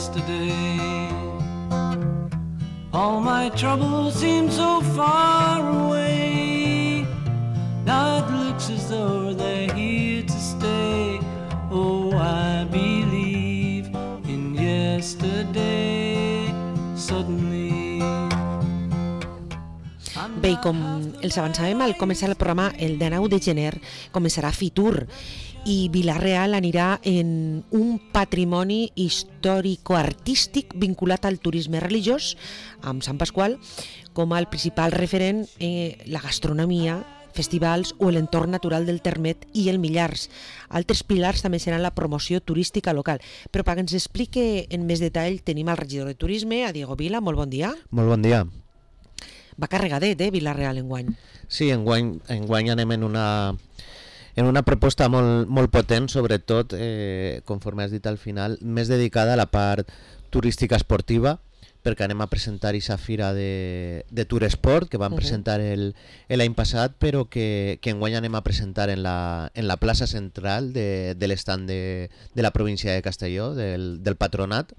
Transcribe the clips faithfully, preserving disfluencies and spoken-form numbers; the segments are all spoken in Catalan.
yesterday. All my troubles seem so far away. Now it looks as though they're here to stay. Oh, I believe in yesterday. Suddenly. Bé, i com els avançàvem al començar el programa, el dinou de gener començarà Fitur i Vila-real anirà en un patrimoni històrico-artístic vinculat al turisme religiós, amb Sant Pasqual com el principal referent, eh, la gastronomia, festivals o l'entorn natural del Termet i el Millars. Altres pilars també seran la promoció turística local. Però perquè ens explique en més detall tenim el regidor de Turisme, a Diego Vila. Molt bon dia. Molt bon dia. Va carregadet, eh, Vila-real enguany. Sí, enguany, enguany anem en una, en una proposta molt, molt potent, sobretot, eh, conforme has dit al final, més dedicada a la part turística esportiva, perquè anem a presentar aquesta fira de, de Turesport, que vam uh-huh. presentar l'any passat, però que, que enguany anem a presentar en la, en la plaça central de, de l'estand de, de la província de Castelló, del, del patronat,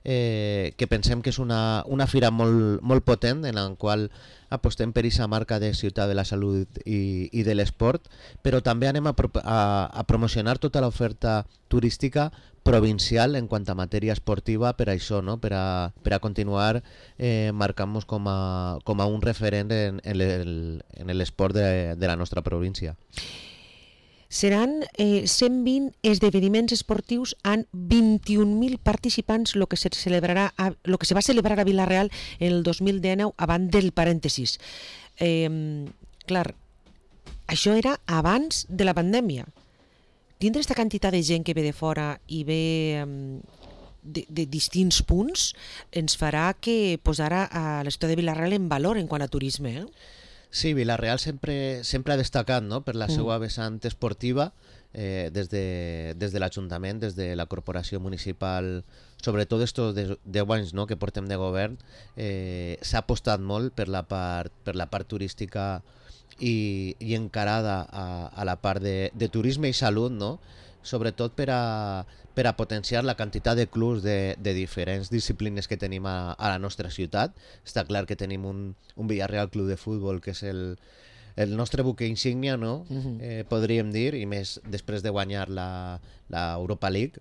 eh, que pensem que és una, una fira molt, molt potent, en la qual apostem per aquesta marca de ciutat de la salut i, i de l'esport, però també anem a, a, a promocionar tota l'oferta turística provincial en quant a matèria esportiva, per això, no? per, a, per a continuar eh, marcant-nos com, a, com a un referent en, en l'esport de, de la nostra província. Seran eh, cent vint esdeveniments esportius amb vint-i-un mil participants, el que, se celebrarà a, lo que se va celebrar a Vila-real el dos mil dinou abans del parèntesis. Eh, clar, això era abans de la pandèmia. Tindre aquesta quantitat de gent que ve de fora i ve um, de, de distints punts ens farà que posar a la ciutat de Vila-real en valor en quant a turisme, eh? Sí, Vila-real sempre, sempre ha destacat, no?, per la mm. seva vessant esportiva, eh, des de, des de l'Ajuntament, des de la Corporació Municipal, sobretot estos deu anys, no?, que portem de govern, eh, s'ha apostat molt per la part, per la part turística i, i encarada a, a la part de, de turisme i salut, no?, sobretot per a, per a potenciar la quantitat de clubs de, de diferents disciplines que tenim a, a la nostra ciutat. Està clar que tenim un, un Villarreal Club de Futbol, que és el, el nostre buque insígnia, no? Uh-huh. eh, podríem dir, i més després de guanyar la, la Europa League,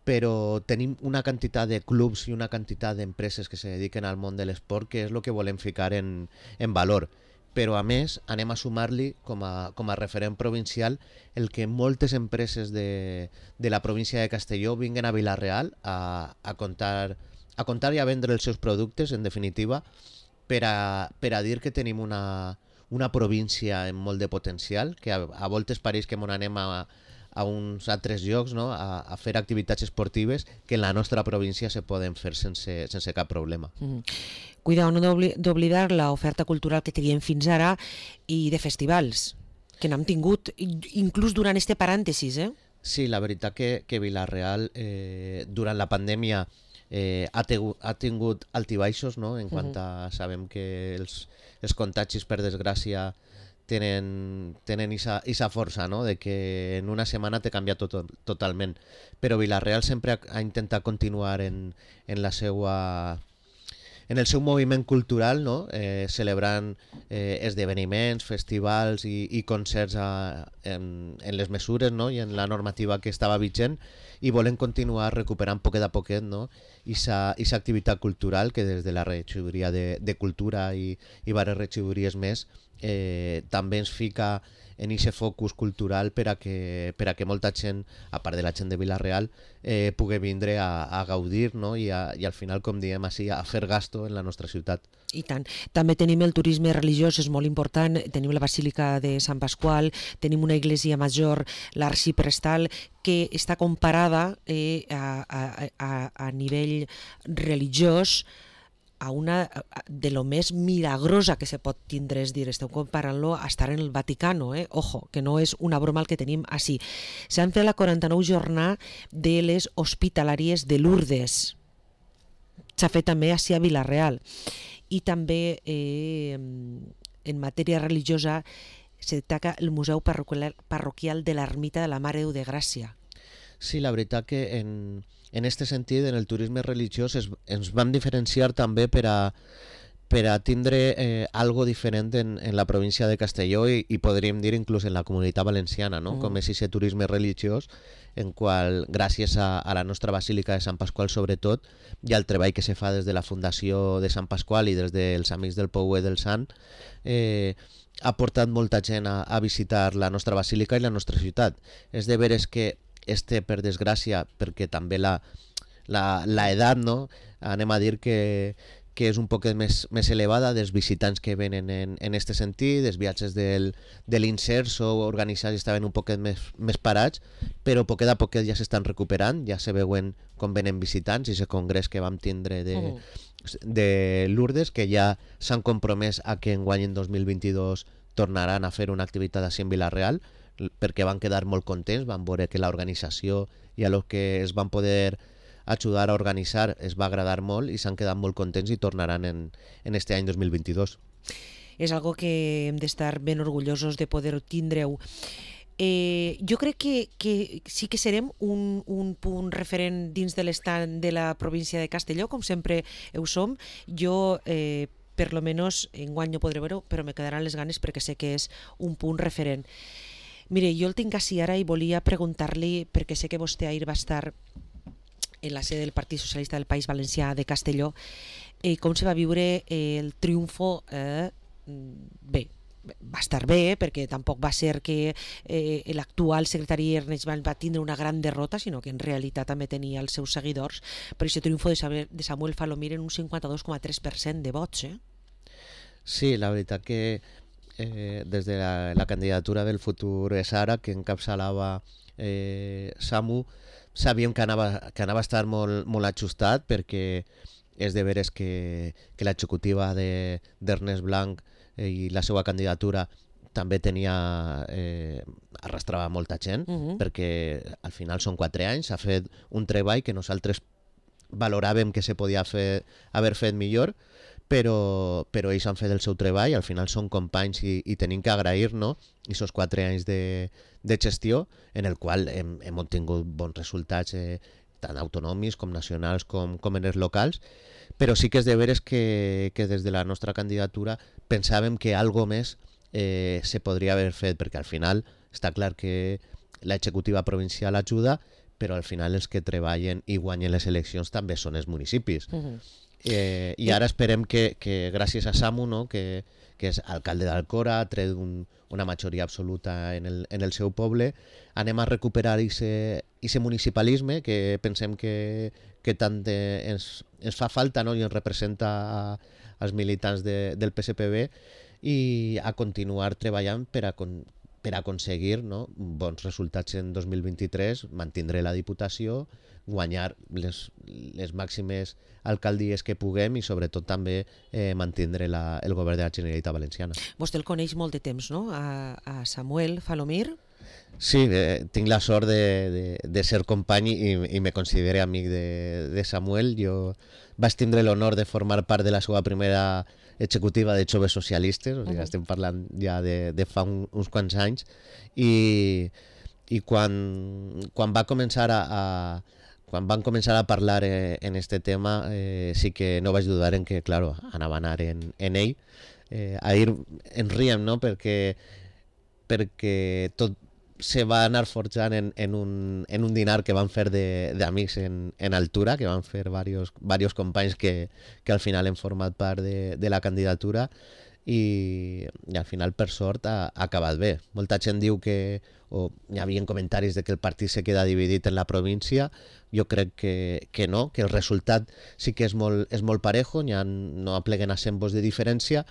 però tenim una quantitat de clubs i una quantitat d'empreses que se dediquen al món de l'esport, que és el que volem ficar en, en valor. Però a més anem a sumar-li com a, com a referent provincial el que moltes empreses de, de la província de Castelló vinguen a Vila-real a, a, contar, a contar i a vendre els seus productes, en definitiva, per a, per a dir que tenim una, una província amb molt de potencial, que a, a voltes pareix que m'on anem a, a uns altres llocs, no?, a, a fer activitats esportives que en la nostra província se poden fer sense, sense cap problema. Mm-hmm. Cuidao, no d'oblidar l'oferta cultural que teníem fins ara i de festivals, que n'hem tingut inclús durant este parèntesis, eh? Sí, la veritat que, que Vila-real eh, durant la pandèmia eh, ha, tegut, ha tingut altibaixos, no?, en quant a, sabem que els, els contagis, per desgràcia, tenen, tenen isa, isa força, no?, de que en una setmana te canvia tot, totalment, però Vila-real sempre ha, ha intentat continuar en, en la seva... en el seu moviment cultural, no?, eh, celebrant eh, esdeveniments, festivals i, i concerts a, en, en les mesures, no?, i en la normativa que estava vigent, i volen continuar recuperant poquet a poquet, no?, aquesta activitat cultural que des de la regidoria de, de Cultura i, i diverses regidories més eh, també ens fica en aquest focus cultural per a, que, per a que molta gent, a part de la gent de Vila-real, eh, pugui vindre a, a gaudir, no?, I, a, i al final, com diem així, a fer gasto en la nostra ciutat. I tant. També tenim el turisme religiós, és molt important, tenim la Basílica de Sant Pasqual, tenim una església major, l'Arxiprestal, que està comparada eh, a, a, a, a nivell religiós a una de lo més milagrosa que se pot tindre, és dir, esteu comparant-lo a estar en el Vaticano, eh? Ojo, que no és una broma el que tenim així. S'han fet la quaranta-nou jornada de les hospitalàries de Lourdes. S'ha fet també així a Vila-real. I també eh, en matèria religiosa se destaca el Museu Parroquial, parroquial de l'Ermita de la Mare de Déu de Gràcia. Sí, la veritat que en, en aquest sentit, en el turisme religiós, es, ens vam diferenciar també per a, per a tindre eh, algo diferent en, en la província de Castelló i, i podríem dir inclús en la Comunitat Valenciana, no? Mm. Com és aquest turisme religiós en qual, gràcies a, a la nostra Basílica de Sant Pasqual sobretot, i al treball que se fa des de la Fundació de Sant Pasqual i des dels Amics del Pouet del Sant, eh, ha portat molta gent a, a visitar la nostra Basílica i la nostra ciutat. És de veres que este, per desgràcia, perquè també la, la, la edat, no? Anem a dir que que és un poc més, més elevada dels visitants que venen en, en este sentit, els viatges del, de l'Inserso organitzats estaven un poquet més, més parats, però poquet a poquet ja s'estan recuperant, ja se veuen com venen visitants, i aquest congrés que vam tindre de, mm. de Lourdes, que ja s'han compromès a que enguany en dos mil vint-i-dos tornaran a fer una activitat així en Vila-real, perquè van quedar molt contents, van veure que l'organització i a lo que es van poder ajudar a organitzar es va agradar molt i s'han quedat molt contents i tornaran en, en este any dos mil vint-i-dos. És algo que hem d'estar ben orgullosos de poder tindre-ho. Eh, jo crec que, que sí que serem un, un punt referent dins de l'estat de la província de Castelló, com sempre ho som. Jo, eh, per lo menos, enguany no podré veure-ho, però me quedaran les ganes perquè sé que és un punt referent. Mire, jo el tinc així ara i volia preguntar-li, perquè sé que vostè ahir va estar en la sede del Partit Socialista del País Valencià de Castelló, eh, com se va viure eh, el triomfo. Eh, bé, va estar bé, perquè tampoc va ser que eh, l'actual secretari Ernest Valls va tindre una gran derrota, sinó que en realitat també tenia els seus seguidors, però aquest triomfo de Samuel, de Samuel Falomir en un cinquanta-dos coma tres per cent de vots. Eh? Sí, la veritat que eh, des de la, la candidatura del futur Sara, que encapçalava eh, Samu, sabíem que anava, que anava a estar molt, molt ajustat, perquè és de veres que, que l'executiva d'Ernest Blanc eh, i la seva candidatura també tenia eh, arrastrava molta gent, uh-huh. perquè al final són quatre anys, s'ha fet un treball que nosaltres valoràvem que se podia fer, haver fet millor, però, però ells han fet el seu treball, al final són companys i, i tenim que agrair, no?, aquests quatre anys de, de gestió en el qual hem, hem obtingut bons resultats eh, tant autonòmics com nacionals com, com en els locals, però sí que és de veres que, que des de la nostra candidatura pensàvem que algo més eh, se podria haver fet, perquè al final està clar que l'executiva provincial ajuda, però al final els que treballen i guanyen les eleccions també són els municipis. Uh-huh. Eh, I ara esperem que, que gràcies a Samu, no, que, que és alcalde d'Alcora, ha tret un, una majoria absoluta en el, en el seu poble, anem a recuperar aquest municipalisme que pensem que, que tant de, ens, ens fa falta, no, i ens representa a, als militants de, del P S P B, i a continuar treballant per a, per a aconseguir, no, bons resultats en dos mil vint-i-tres, mantindre la Diputació, guanyar les, les màximes alcaldies que puguem i sobretot també eh, mantindre la, el govern de la Generalitat Valenciana. Vostè el coneix molt de temps, no?, a, a Samuel Falomir? Sí, eh, tinc la sort de, de, de ser company i, i me considero amic de, de Samuel. Jo vaig tindre l'honor de formar part de la seva primera executiva de joves socialistes, o sigui, uh-huh. estem parlant ja de, de fa un, uns quants anys, i, i quan, quan va començar a, a quan van començar a parlar eh, en este tema, eh, sí que no vaig dudar en que, claro, anava a anar en, en ell. Eh, ahir ens riem, no?, perquè, perquè tot se va anar forjant en, en, un, en un dinar que van fer d'amics en, en altura, que van fer varios, varios companys que, que al final han format part de, de la candidatura, i, i al final, per sort, ha, ha acabat bé. Molta gent diu que, o hi havia comentaris de que el partit se queda dividit en la província. Jo crec que, que no, que el resultat sí que és molt, és molt parejo, ja no apleguen a cent vots de diferència,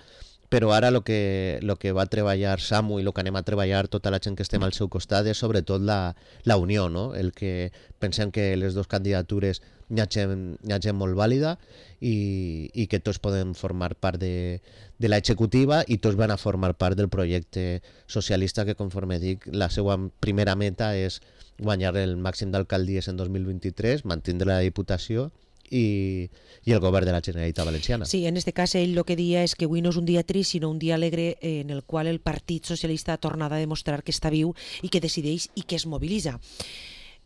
però ara el que, lo que va treballar Samu i el que anem a treballar tota la gent que estem al seu costat és sobretot la, la unió, no? El que pensem que les dues candidatures hi ha gent, hi ha gent molt vàlida i, i que tots podem formar part de, de l'executiva i tots van a formar part del projecte socialista que, conforme dic, la seva primera meta és guanyar el màxim d'alcaldies en dos mil vint-i-tres, mantindre la Diputació i, i el govern de la Generalitat Valenciana. Sí, en este cas ell el que dia és que avui no és un dia trist, sinó un dia alegre en el qual el Partit Socialista ha tornat a demostrar que està viu i que decideix i que es mobilitza.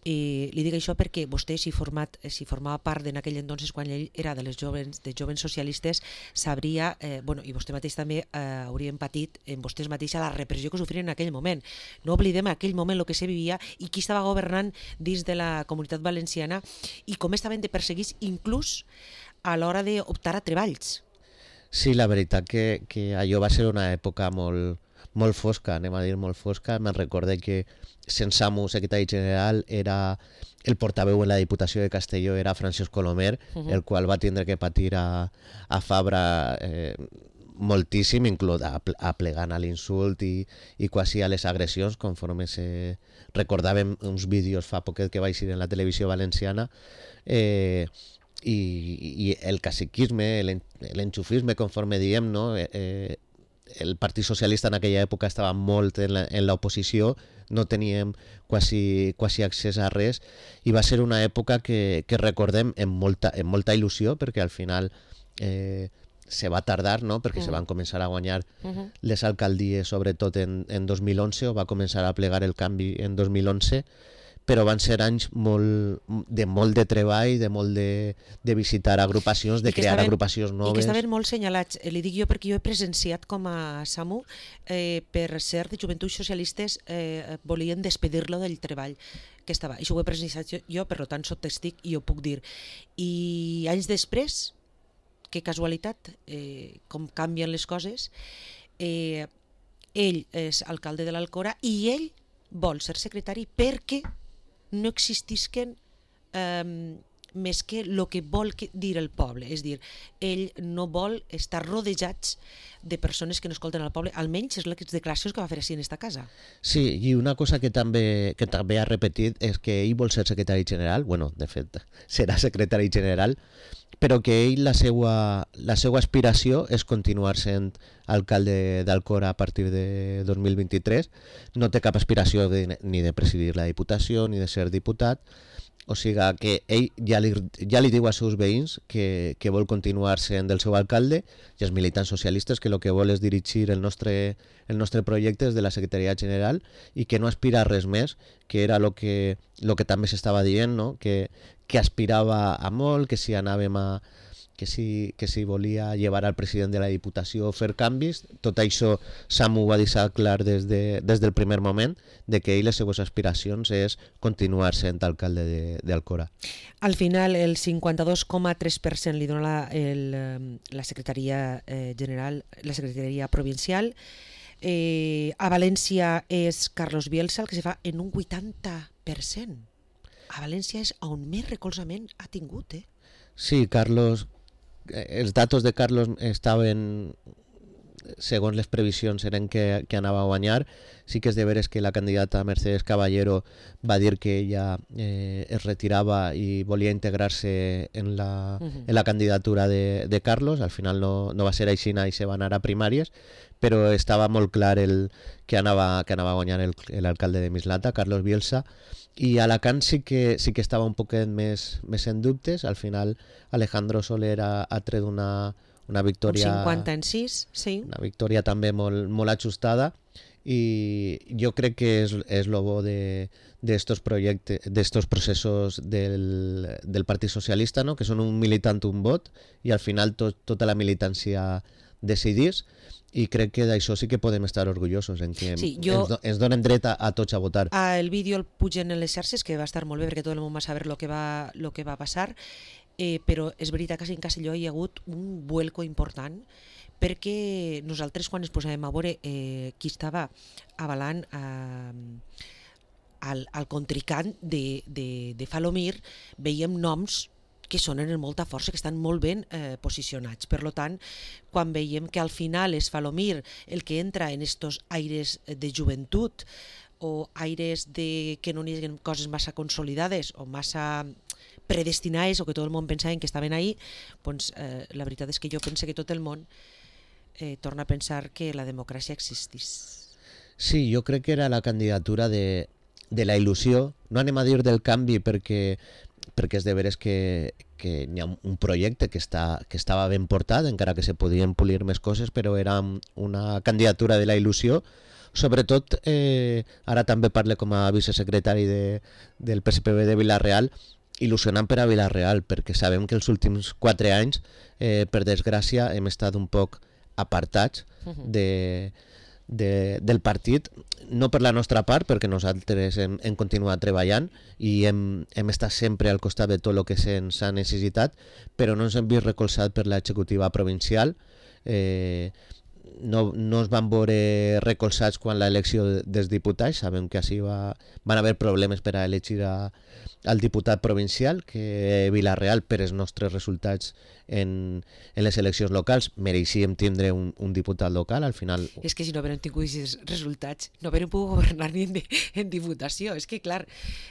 I li dic això perquè vostè, si, format, si formava part d'en aquell entonces, quan ell era de les jovens, de jovens socialistes, sabria, eh, bueno, i vostè mateix també eh, haurien patit en vostès mateixa la repressió que sofrien en aquell moment. No oblidem aquell moment el que se vivia i qui estava governant dins de la Comunitat Valenciana i com estaven de perseguits inclús a l'hora d'optar a treballs. Sí, la veritat que, que allò va ser una època molt, molt fosca, anem a dir molt fosca. Me'n recorde que Sensamu, secretari general, era el portaveu en la Diputació de Castelló, era Francesc Colomer, uh-huh. el qual va tindre que patir a, a Fabra eh, moltíssim, inclús aplegant a l'insult i, i quasi a les agressions, conforme se recordàvem uns vídeos fa poquet que va eixir en la televisió valenciana, eh, i, i el caciquisme, l'enxufisme, conforme diem, no? Eh, el Partit Socialista en aquella època estava molt en l'oposició, no teníem quasi, quasi accés a res, i va ser una època que, que recordem amb molta, amb molta il·lusió, perquè al final eh, se va tardar, no? Perquè uh-huh. se van començar a guanyar uh-huh. les alcaldies, sobretot en, en dos mil onze, o va començar a plegar el canvi en dos mil onze, però van ser anys molt, de molt de treball, de molt de, de visitar agrupacions, de crear estaven, agrupacions noves. I que estaven molt senyalats. Li dic jo perquè jo he presenciat com a SAMU, eh, per ser de Joventuts Socialistes, eh, volien despedir-lo del treball que estava. Això ho he presenciat jo, jo, per tant soc testic i ho puc dir. I anys després, que casualitat, eh, com canvien les coses, eh, ell és alcalde de l'Alcora i ell vol ser secretari perquè no existisquen eh, més que el que vol dir el poble. És dir, ell no vol estar rodejats de persones que no escolten al poble, almenys és les declaracions que va fer així en esta casa. Sí, i una cosa que també, que també ha repetit és que ell vol ser secretari general, bueno, de fet, serà secretari general, però que ell, la seva, la seva aspiració és continuar sent alcalde d'Alcora a partir de dos mil vint-i-tres, no té cap aspiració de, ni de presidir la Diputació ni de ser diputat, o sigui que ell ja li, ja li diu als seus veïns que, que vol continuar sent el seu alcalde, i els militants socialistes que el que vol és dirigir el nostre, el nostre projecte des de la Secretaria General i que no aspira a res més, que era el que, lo que també s'estava dient, no? que, que aspirava a molt, que si anàvem a que si, que si volia llevar al president de la Diputació a fer canvis. Tot això Samu ho va deixar clar des, de, des del primer moment, de que ell les seues aspiracions és continuar sent alcalde d'Alcora. Al final el cinquanta-dos coma tres per cent li dona la, el, la Secretaria eh, General, la Secretaria Provincial. Eh, a València és Carlos Bielsa el que se fa en un vuitanta per cent. A València és on més recolzament ha tingut, eh? Sí, Carlos, els datos de Carlos estaven, segons les previsions, eren que, que anava a guanyar. Sí que és de veres que la candidata Mercedes Caballero va dir que ella eh, es retirava i volia integrar-se en, la, uh-huh. en la candidatura de, de Carlos. Al final no, no va ser així i se va anar a primàries, però estava molt clar el, que, anava, que anava a guanyar l'alcalde de Mislata, Carlos Bielsa. I a Alacant sí que, sí que estava un poquet més, més en dubtes. Al final Alejandro Soler ha, ha tret una, una victòria... Un cinquanta en sis, sí. Una victòria també molt, molt ajustada, i jo crec que és, és lo bo de, d'estos projectes, d'estos processos del, del Partit Socialista, no? Que són un militant, un vot, i al final tot, tota la militància decidís. I crec que d'això sí que podem estar orgullosos, en que sí, jo, ens, do, ens donem dret a, a tots a votar. El vídeo el pugen en les xarxes, que va estar molt bé perquè tot el món va saber el que va, lo que va passar, eh, però és veritat que en Castelló hi ha hagut un vuelco important, perquè nosaltres quan ens posàvem a veure eh, qui estava avalant eh, al, al contrincant de, de, de Falomir, veiem noms que sonen amb molta força, que estan molt ben eh, posicionats. Per tant, quan veiem que al final és Falomir el que entra en estos aires de joventut o aires de que no hi ha coses massa consolidades o massa predestinades o que tot el món pensava que estaven ahí, doncs eh, la veritat és que jo penso que tot el món eh, torna a pensar que la democràcia existís. Sí, jo crec que era la candidatura de, de la il·lusió, no anem a dir del canvi perquè perquè és de veres que, que hi ha un projecte que, està, que estava ben portat, encara que se podien polir més coses, però era una candidatura de la il·lusió, sobretot, eh, ara també parle com a vicesecretari de, del P S P B de Vila-real, il·lusionant per a Vila-real, perquè sabem que els últims quatre anys, eh, per desgràcia, hem estat un poc apartats de, de, del partit, no per la nostra part, perquè nosaltres hem, hem continuat treballant i hem, hem estat sempre al costat de tot el que se'ns ha necessitat, però no ens hem vist recolzat per l'executiva provincial. Eh, no, no es van veure recolzats quan l'elecció dels diputats. Sabem que així va, van haver problemes per a elegir a, al diputat provincial, que Vila-real, per els nostres resultats en, en les eleccions locals, mereixíem tindre un, un diputat local. Al final... És que si no haguérem tingut aquests resultats, no haguérem pogut governar ni en, en diputació. És que, clar,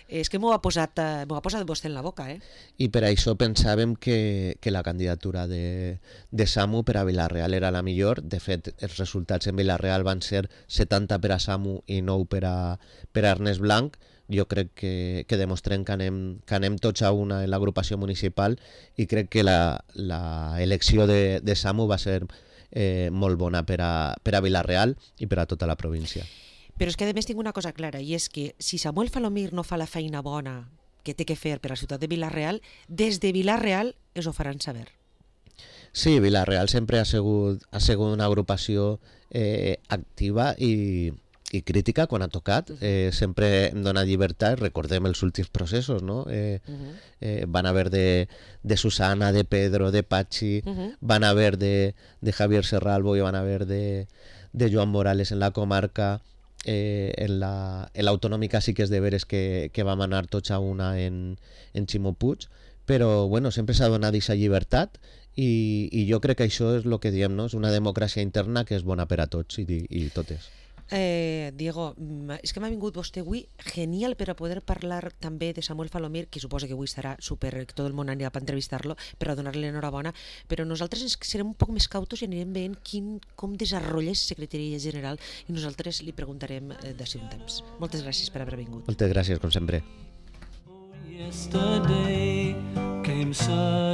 és que m'ho ha posat, m'ho ha posat vostè en la boca, eh? I per això pensàvem que, que la candidatura de, de Samu per a Vila-real era la millor. De fet, els resultats en Vila-real van ser setanta per a Samu i nou per a, per a Ernest Blanc. Jo crec que, que demostrem que anem, que anem tots a una en l'agrupació municipal i crec que la, la elecció de, de Samu va ser eh, molt bona per a, per a Vila-real i per a tota la província. Però és que a més tinc una cosa clara, i és que si Samuel Falomir no fa la feina bona que té que fer per a la ciutat de Vila-real, des de Vila-real es ho faran saber. Sí, Vila-real sempre ha sigut, ha sigut una agrupació eh, activa i i crítica quan ha tocat, eh, sempre hem donat llibertat, recordem els últims processos, no? Eh, uh-huh. eh, van haver de, de Susana, de Pedro, de Pachi, uh-huh. van haver de, de Javier Serralbo i van haver de, de Joan Morales en la comarca, eh, en la en l'autonòmica sí que és de veres que, que vam anar tots a una en, en Ximo Puig, però bueno, sempre s'ha donat aquesta llibertat i, i jo crec que això és el que diem, no? És una democràcia interna que és bona per a tots i, i totes. Eh, Diego, és que m'ha vingut vostè avui genial per a poder parlar també de Samuel Falomir, que suposa que avui estarà super, que tot el món anirà per entrevistar-lo, per a donar-li l'enhorabona, però nosaltres ens serem un poc més cautos i anirem veient quin, com desenvolupa la Secretaria General i nosaltres li preguntarem eh, d'ací un temps. Moltes gràcies per haver vingut. Moltes gràcies, com sempre. Yesterday came sun.